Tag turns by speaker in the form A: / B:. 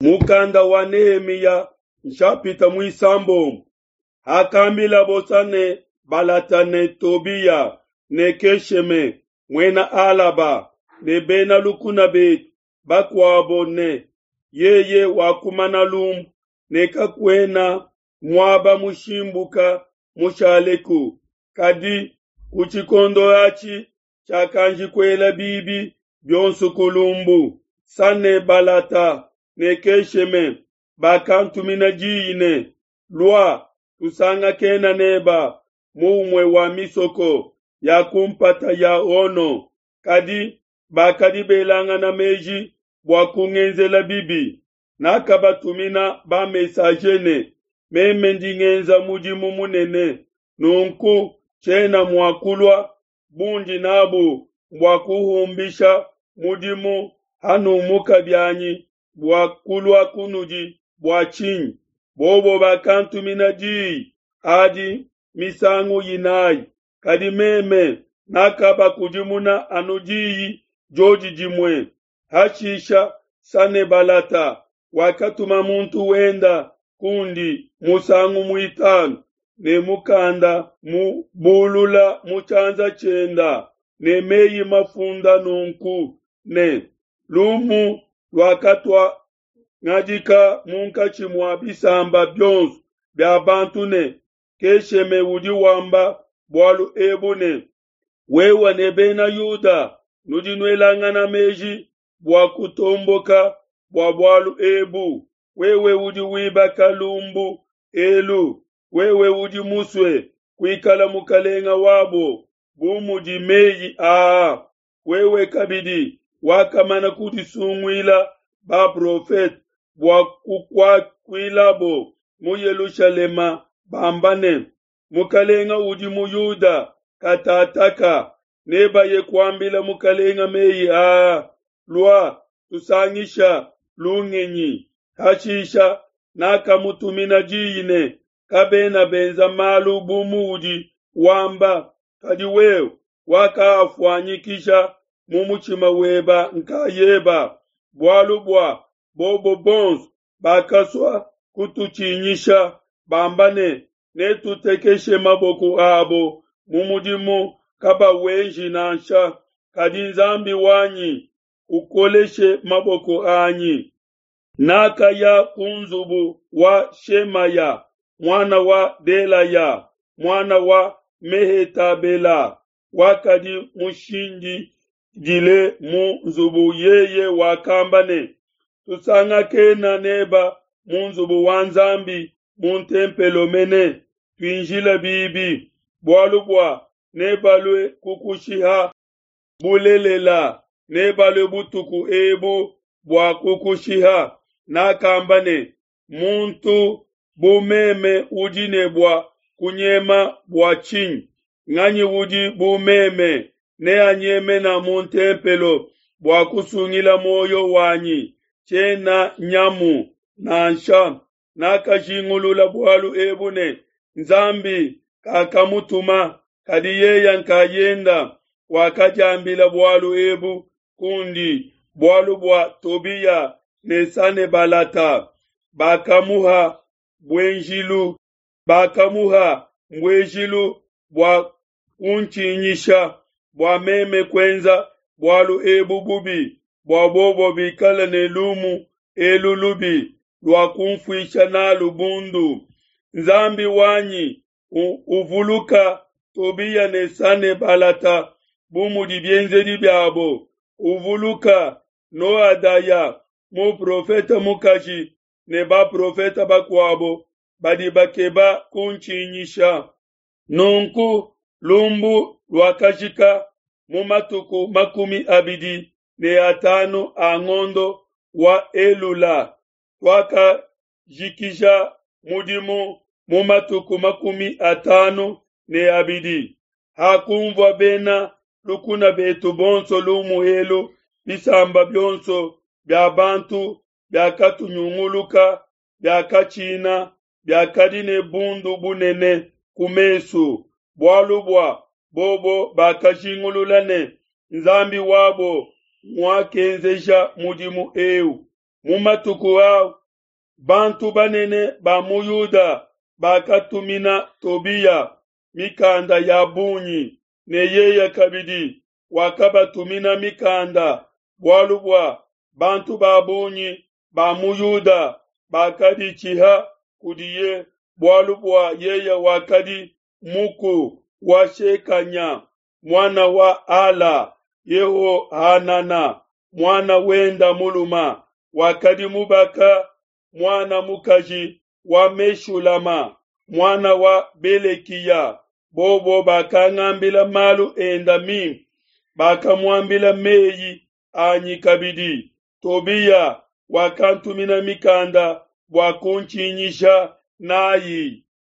A: Mukanda wa Nehemiya nshapita muisambombo. Hakambila Sanebalata ne Tobiya ne Kesheme muena Alaba ne bena lukuna betu bakuabo ne, yeye wakumana lumbu ne kakuena muaba mushimbuka mushaleku, kadi ku tshikondo atshi tshiakanji kuela bibi bionso ku lumbu. Sanebalata ne Kesheme bakantumina diyi ne, Lua, tusangakena neba mu umue wa misoko ya ku mpata ya Ono. Kadi bakadi belangana meji bua kungenzela bibi. Nakabatumina ba-messager ne, Meme ndi ngenza mudimu munene, nunku tshiena mua kulua. Bundi nabu mbua kuhumbisha mudimu hanumuka bianyi bua kulua kunudi bua tshinyi? Bobo bakantumina diyi adi misangu inayi, kadi meme nakabakudimuna anu diyi diodi dimue. Hashisha Sanebalata wakatuma muntu wenda kundi musangu muitanu ne mukanda mubulula mu tshianza tshienda ne meyi mafunda nunku ne, Lumu luakatuangadika munkatshi mua bisamba bionso bia bantu ne, Kesheme udi wamba bualu ebu ne, Wewe ne Bena Yuda nudi nuelangana meji bua kutomboka bua bualu ebu. Wewe udi wibaka lumbu elu, wewe udi musue kuikala mukalenga wabo bu mudi meyi aa. Wewe kabidi wakamana kudisunguila baprofete bua kukuakuilabo mu Yelushalema bamba ne, Mukalenga udi mu Yuda katataka, nebaye kuambila mukalenga meyi aa, lua tusangisha lungenyi. Hashisha nakamutumina diyi ne, Kabena benza malu bu muudi wamba, kadi wewe wakaafuanyikisha mu mutshima weba nkayeba, bualu bua bobo bonso bakasua kututshinyisha, bamba ne, Netutekeshe maboko abo mu mudimu kabawenji nansha. Kadi Nzambi wanyi, ukoleshe maboko anyi. Nakaya ku nzubu wa Shemaya, muana wa Delaya, muana wa Mehetabela, wakadi mushindidile mu nzubu. Yeye wakamba ne, Tusangakena neba mu nzubu wa Nzambi mu ntempelo mene, tuinjila bibi, bualu bua nebalue kukushiha. Bulelela, nebalue butuku ebu bua kukushiha. Nakamba ne, Muntu bu meme udi ne bua kunyema bua tshinyi? Nganyi udi bu meme neanyemena mu ntempelo bua kusungila muoyo wanyi? Tshiena nyamu nansha. Nakajingulula bualu ebu ne, Nzambi kakamutuma, kadi yeye nkayenda wakadiambila bualu ebu kundi bualu bua Tobiya ne Sanebalata bakamuha buenjilu bakamuha mbuejilu bua kuntshinyisha bua meme kuenza bualu ebu bubi, bua bobo bikale ne lumu elu lubi lua kunfuisha nalu bundu. Nzambi wanyi, uvuluka Tobiya ne Sanebalata bu mudi bienzedi biabo, uvuluka Noadaya muprofete mukaji ne baprofete bakuabo badi bakeba kuntshinyisha. Nunku lumbu luakajika mu matuku 25 a ngondo wa Elula. Tuakajikija mudimu mu matuku 52. Hakunvua bena lukuna betu bonso lumu elu, bisamba bionso bia bantu biakatunyunguluka biakatshina, biakadi ne bundu bunene ku mesu, bualu bua bobo bakajingulula ne, Nzambi wabo nguakenzeja mudimu eu. Mu matuku au bantu banene ba mu Yuda bakatumina Tobiya mikanda ya bungi, ne yeye kabidi wakabatumina mikanda, bualu bua bantu ba bungi ba mu Yuda bakaditshiha kudiye, bualu bua yeye wakadi muku wa Shekanya, muana wa Ala. Yehohanana, muana wenda muluma, wakadi mubaka muana mukaji wa Meshulama, muana wa Belekiya. Bobo bakangambila malu enda mimpe, bakamuambila meyi anyi kabidi. Tobiya wakantumina mikanda bua kuntshinyisha nayi.